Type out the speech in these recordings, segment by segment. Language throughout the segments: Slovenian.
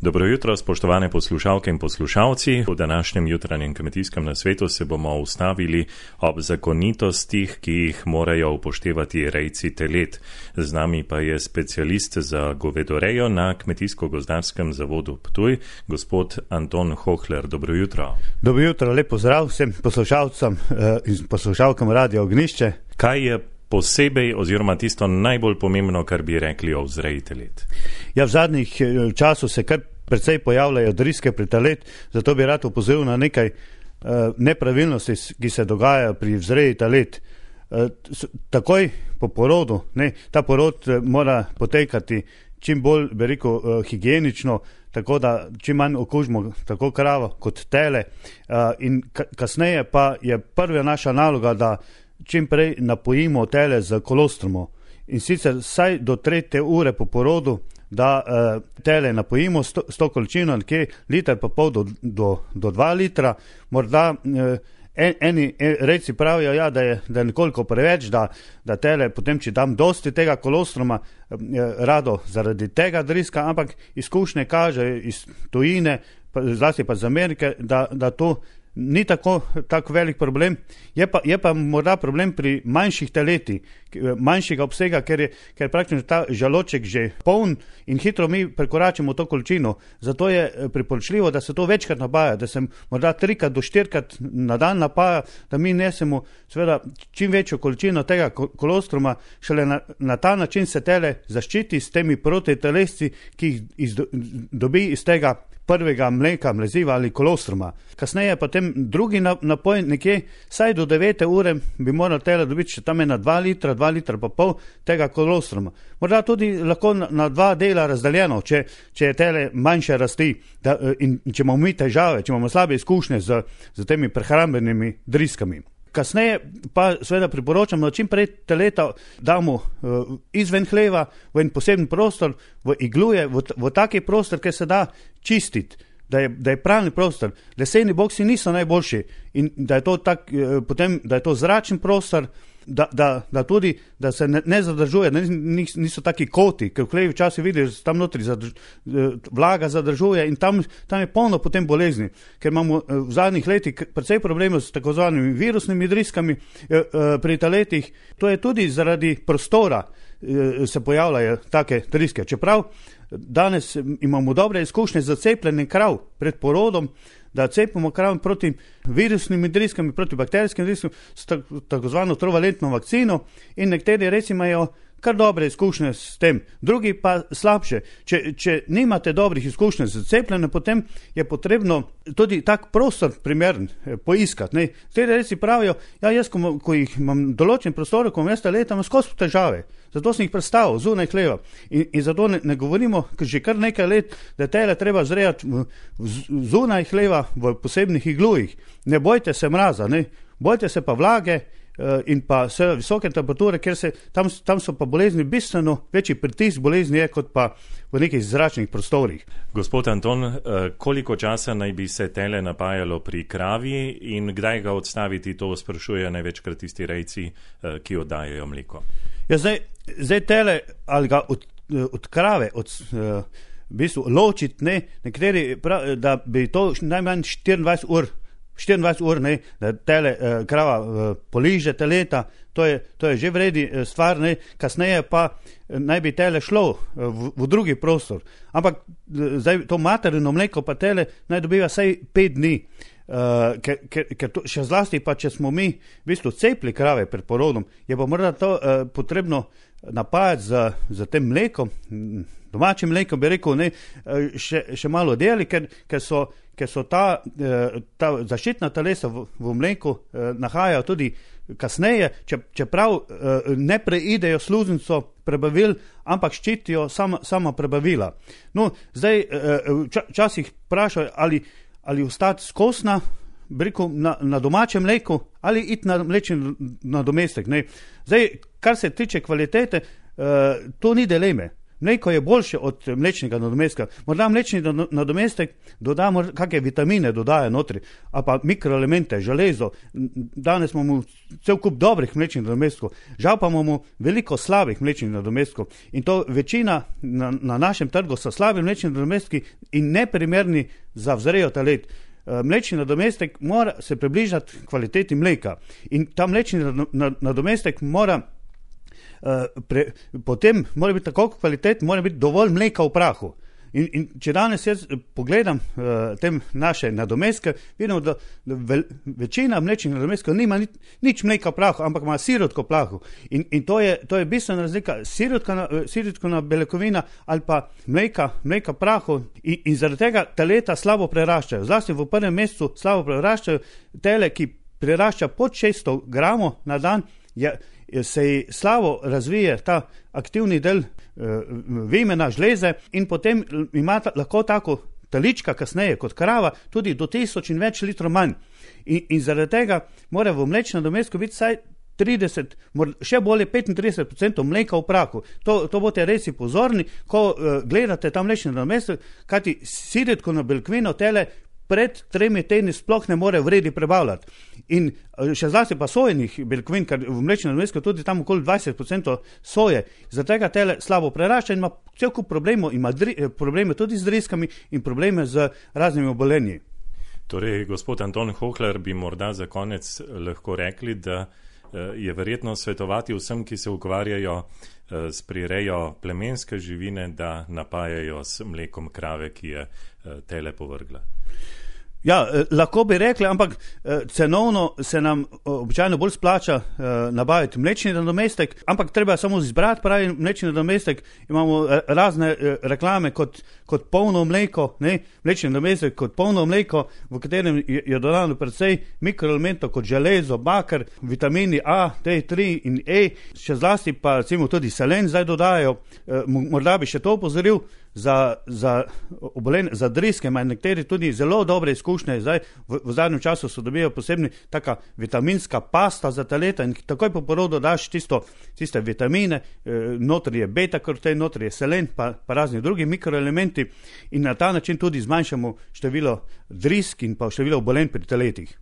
Dobro jutro, spoštovane poslušalke in poslušalci. V današnjem jutranjem kmetijskem nasvetu se bomo ustavili ob zakonitostih, ki jih morajo upoštevati rejci telet. Z nami pa je specialist za govedorejo na Kmetijsko-gozdarskem zavodu Ptuj, gospod Anton Hohler. Dobro jutro. Dobro jutro, lep pozdrav vsem poslušalcem in poslušalkam Radia Ognjišče. Kaj je posebej oziroma tisto najbolj pomembno, kar bi rekli o vzreji telet? Ja, v zadnjih času se kar precej pojavljajo driske pri telet, zato bi rad opozoril na nekaj nepravilnosti, ki se dogajajo pri vzreji telet. Takoj po porodu, ta porod mora potekati čim bolj, bi rekel, higienično, tako da čim manj okužimo tako kravo kot tele. In kasneje pa je prva naša naloga, da čim prej napojimo tele z kolostromo. In sicer vsaj do 3. ure po porodu, da tele napojimo s to količino, nekje liter pa pol do 2 litra. Morda eni rejci pravijo, ja, da je nekoliko preveč, da tele potem, če dam dosti tega kolostroma, rado zaradi tega driska, ampak izkušnje kažejo iz tujine, zlasti pa iz Amerike, da to ni tako velik problem. Je pa morda problem pri manjših teletih, manjšega obsega, ker je praktično ta žaloček že poln in hitro mi prekoračimo to količino. Zato je priporočljivo, da se to večkrat napaja, da se morda 3 do 4 na dan napaja, da mi nesemo seveda čim večjo količino tega kolostroma, šele na ta način se tele zaščiti s temi protitelesci, ki jih dobi iz tega prvega mleka, mleziva ali kolostroma. Kasneje pa tem drugi napoj, nekje saj do 9. ure bi moral tele dobiti še tam 2 litra pa pol tega kolostroma. Morda tudi lahko na 2 dela razdeljeno, če je tele manjše rasti in če imamo mi težave, če imamo slabe izkušnje z temi prehrambenimi driskami. Kasneje pa seveda priporočam, da čim prej teleta damo izven hleva, v en poseben prostor, v igluje, v taki prostor, kjer se da čistiti, da je pravni prostor. Leseni boksi niso najboljši in da je to zračen prostor, da tudi, da se ne zadržuje, niso taki koti, ker v hlevi včasih vidiš, tam notri vlaga zadržuje in tam je polno potem bolezni, ker imamo v zadnjih letih precej problemov s tako zvanimi virusnimi driskami pri teletih. To je tudi zaradi prostora se pojavljajo take driske. Čeprav danes imamo dobre izkušnje z cepljenjem krav pred porodom, da cepimo krav proti virusnim driskam, proti bakterijskim driskom s tako zvano trivalentno vakcino in nekateri reci imajo kar dobre izkušnje s tem, drugi pa slabše. Če nimate dobrih izkušnje z cepljenjem, potem je potrebno tudi tak prostor primern poiskati. Nekateri reci pravijo, ja, jaz, ko jih imam določen prostor, ko imam jaz leta, imam skozi težave. Zato sem jih predstavil zunaj hleva. In zato ne govorimo že kar nekaj let, da tele treba zrejati zunaj hleva v posebnih iglujih. Ne bojte se mraza, bojte se pa vlage in pa vse visoke temperature, ker tam so pa bolezni bistveno večji pritisk bolezni je kot pa v nekih zračnih prostorih. Gospod Anton, koliko časa naj bi se tele napajalo pri kravi in kdaj ga odstaviti, to sprašujejo največkrat tisti rejci, ki oddajajo mleko? Ja, zdaj tele ali ga od krave, v bistvu ločiti, nekateri pravi, da bi to najmanj 24 ur, da tele krava poliže teleta, to je že vredi stvar, kasneje pa naj bi tele šlo v drugi prostor. Ampak zdaj to materino mleko pa tele naj dobiva vsaj 5 dni. Ker to, še zlasti pa, če smo mi v bistvu cepli krave pred porodom, je pa morda to potrebno napajati z tem mlekom, domačim mlekom, bi rekel, še malo deli, ker so ta zaščitna telesa v mleku nahajajo tudi kasneje, čeprav ne preidejo sluznico prebavil, ampak ščitijo sama prebavila. No, zdaj včasih vprašajo, ali ostati skosna, na domačem mleku, ali iti na mlečni nadomestek. Zdaj, kar se tiče kvalitete, to ni dileme. mleko je boljše od mlečnega nadomestka. Morda mlečni nadomestek dodamo kakšne vitamine, dodaja notri, a pa mikroelemente, železo. Danes imamo cel kup dobrih mlečnih nadomestkov, žal pa imamo veliko slabih mlečnih nadomestkov in to večina na našem trgu so slabi mlečni nadomestki in neprimerni za vzrejo telet. Mlečni nadomestek mora se približati kvaliteti mleka in ta mlečni nadomestek mora potem mora biti tako kvalitet, mora biti dovolj mleka v prahu. In če danes jaz pogledam tem naše nadomestke, vidimo, da večina mlečnih nadomestkov nima nič mleka v prahu, ampak ima sirotko v prahu. In to je bistvena razlika, sirotkona beljakovina ali pa mleka v prahu in zaradi tega teleta slabo preraščajo. Zlasti v prvem mesecu slabo preraščajo, tele, ki prerašča pod 600 gramov na dan, se ji slabo razvije ta aktivni del vimena, žleze in potem ima lahko tako telička kasneje kot krava tudi do 1000 in več litrov manj. In zaradi tega mora v mlečnem nadomestku biti vsaj 30, še bolje 35% mleka v prahu. To boste res pozorni, ko gledate ta mlečni nadomestek, kajti sirotkino beljakovino tele pred 3 tedni sploh ne more v redi prebavljati. In še zlasti pa sojenih beljakovin, ker v mlečnem nadomestku tudi tam okoli 20% soje, zaradi tega tele slabo prerašča in ima cel kup problemov, ima probleme tudi z driskami in probleme z raznimi obolenji. Torej, gospod Anton Hohler, bi morda za konec lahko rekli, da je verjetno svetovati vsem, ki se ukvarjajo s prirejo plemenske živine, da napajajo s mlekom krave, ki je tele povrgla. Ja, lahko bi rekli, ampak cenovno se nam običajno bolj splača nabaviti mlečni nadomestek, ampak treba samo izbrati pravi mlečni nadomestek. Imamo razne reklame kot polno mleko, mlečni nadomestek kot polno mleko, v katerem je dodano precej mikroelementov kot železo, baker, vitamini A, D3 in E, še zlasti pa recimo tudi selen zdaj dodajajo. Morda bi še to opozoril, za driske imajo nekateri tudi zelo dobre izkušnje. Zdaj v zadnjem času so dobijo posebni taka vitaminska pasta za teleta in takoj po porodu daš tiste vitamine, notri je beta-karoten, notri je selen pa razni drugi mikroelementi in na ta način tudi zmanjšamo število drisk in pa število obolenj pri teletih.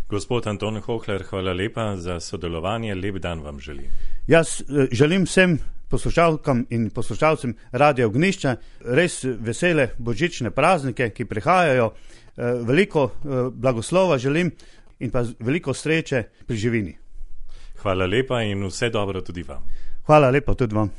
Gospod Anton Hohler, hvala lepa za sodelovanje, lep dan vam želim. Jaz želim vsem poslušalkam in poslušalcem Radia Ognjišče res vesele božične praznike, ki prihajajo, veliko blagoslova želim in pa veliko sreče pri živini. Hvala lepa in vse dobro tudi vam. Hvala lepa tudi vam.